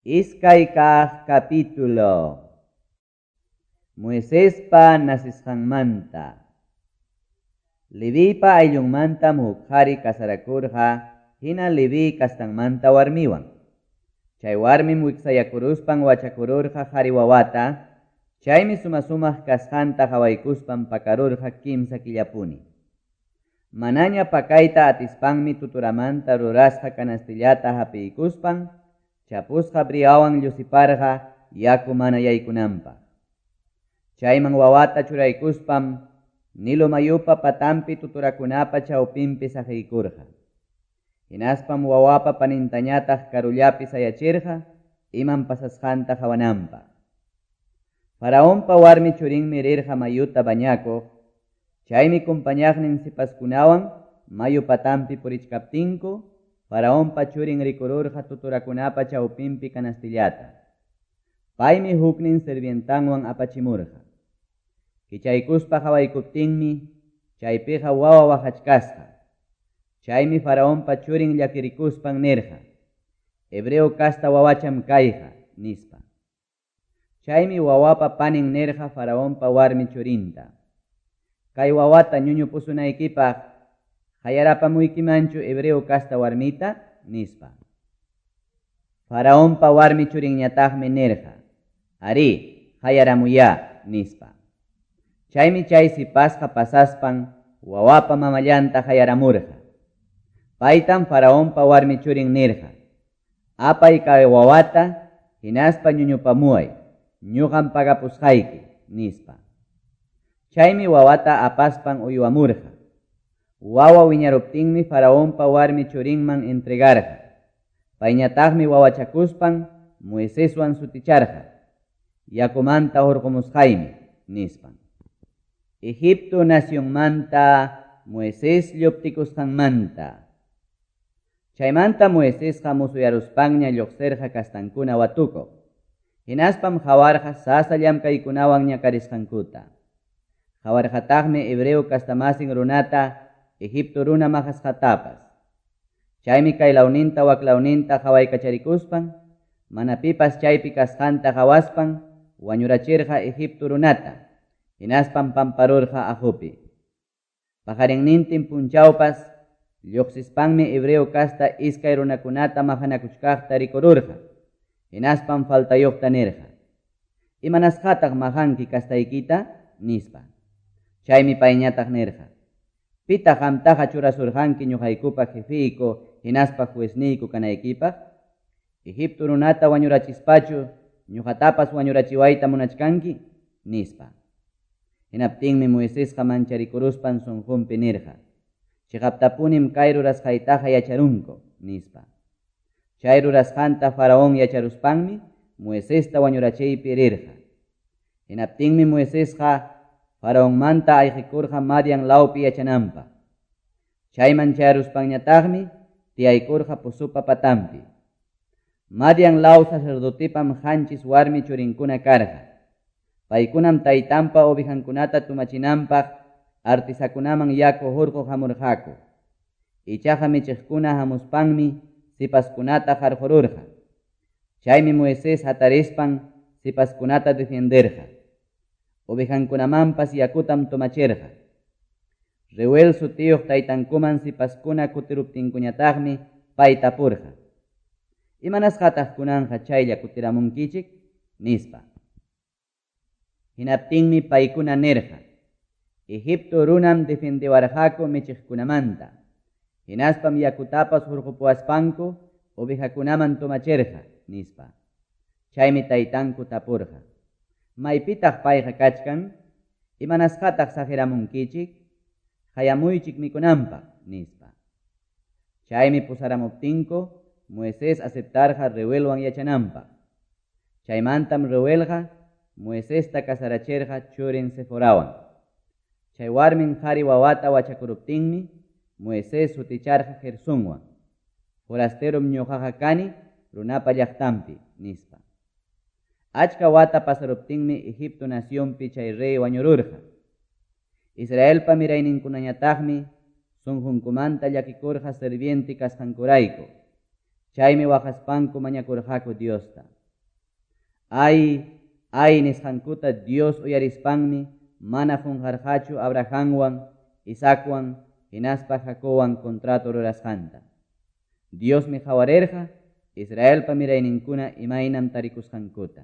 Iskay kaq capítulo. Moisespa nacesqanmanta. Levipa ayllunmantam huk qhari kasarakurqa hina Leví kastanmanta warmiwan. Chay warmim wiksayakuruspan wachakururqa qhari wawata, chaymi suma-sumaq kasqanta qhawaykuspan pakarurqa kimsa killapuni. Manaña pakayta atispanmi tuturamanta rurasqa canastillata hapiykuspan chapusqa briawan llusiparqa yaku mana yaykunanpaq. Chayman wawata churaykuspam Nilo mayupa patampi tuturakunapa chawpinpi saqiykurqa. Hinaspam wawapa panintañataq karullapi sayachirqa imam pasasqanta qawananpaq. Faraonpa warmi churinmi rirqa mayuta bañakuq, chaymi kumpañaqnin sipaskunawan mayu patampi purichkaptinku Faraonpa churin rikururqa tuturakunapa chawpinpi canastillata. Paymi huknin sirvientanwan apachimurqa. Kichaykuspa qawaykuptinmi chaypiqa wawa waqachkasqa. Chaymi Faraonpa churin llakirikuspan nirqa: Hebreo kasta wawacham kayqa, nispa. Chaymi wawapa panin nirqa Faraonpa warmi churinta: Kay wawata ñuñupusunaykipaq qayarapamuykimanchu hebreo kasta warmita, nispa. Faraonpa warmi churinñataqmi nirqa: Arí, qayaramuyá, nispa. Chaymi chay sipasqa pasaspan wawapa mamallanta qayaramurqa. Paytam Faraonpa warmi churin nirqa: Apay kay wawata hinaspa ñuñupamuway, ñuqam pagapusqayki, nispa. Chaymi wawata apaspan uywamurqa. Wawa wiñaruptinmi Faraonpa warmi churinman entregarqa. Payñataqmi wawachakuspan Moiseswan suticharqa: Yakumanta hurqumusqaymi, nispan. Egipto nacionmanta Moisés lluptikusqanmanta. Chaymanta Moisesqa musuyaruspanña lluqsirqa kastankuna watukuq. Hinaspam qawarqa sasa llamkaykunawan ñakarisqankuta. Qawarqataqmi hebreo kastamasin runata Egipto runa maqasqatapas. Chaymi kaylawninta waklawninta qawaykacharikuspan, mana pipas chaypi kasqanta qawaspan wañurachirqa Egipto runata, hinaspam pamparurqa aqupi. Paqarinnintin punchawpas lluqsispanmi hebreo kasta iskay runakunata maqanakuchkaqta rikururqa, hinaspam faltayuqta nirqa: Imanasqataq maqanki kastaykita, nispa. Chaymi payñataq nirqa: Pitaq qamtaqa churasurqanki ñuqaykupa jefeyku hinaspa juezniyku kanaykipaq? Egipto runata wañurachispachu ñuqatapas wañurachiwayta munachkanki, nispa. Hinaptinmi Moisesqa mancharikuruspan sunqunpi nirqa: Chiqaptapunim kay rurasqaytaqa yacharunku, nispa. Chay rurasqanta Faraón yacharuspanmi Moisesta wañurachiypi rirqa. Hinaptinmi Moisesqa Faraonmanta ayqikurqa Madian lawpi yachananpaq. Chayman chayaruspanñataqmi tiyaykurqa pusupa patampi. Madian law sacerdotipam qanchis warmi churinkuna karqa. Paykunam taytanpa ovejankunata tumachinanpaq artisakunaman yaku hurquq hamurqaku. Ichaqa michiqkuna hamuspanmi sipaskunata qarqururqa. Chaymi Moisés hatarispan sipaskunata defenderqa. Ovejankunamanpas yakutam tumachirqa. Reuel sutiyuq taytankuman sipaskuna kutiruptinkuñataqmi pay tapurqa: Imanasqataq kunanqa chaylla kutiramunkichik, nispa. Hinaptinmi paykuna nirqa: Egipto runam defendewarqaku michiqkunamanta. Hinaspam yakutapas hurqupuwaspanku ovejakunaman tumachirqa, nispa. Chaymi taytanku tapurqa: Maypitaq payqa kachkan? Imanasqataq saqiramunkichik? Qayamuychik mikunanpaq, nispa. Chaymi pusaramuptinku Moisés aceptarqa Reuelwan yachananpaq. Chaymantam Reuelqa Moisesta kasarachirqa churin Seforawan. Chay warmin qhari wawata wachakuruptinmi Moisés suticharqa Gersonwan. Forasterom ñuqaqa kani runapa llaqtanpi, nispa. Achka wata pasaruptinmi Egipto nacionpi chay rey wañururqa. Israelpa mirayninkunañataqmi sunqunkumanta llakikurqa sirviente kasqankurayku. Chaymi waqaspanku mañakurqaku Diosta. Ay, ay nisqankuta Dios uyarispanmi mana qonqarqachu Abrahamwan, Isaacwan hinaspa Jacobwan contrato rurasqanta. Diosmi qawarirqa Israelpa mirayninkuna imaynam tarikusqankuta.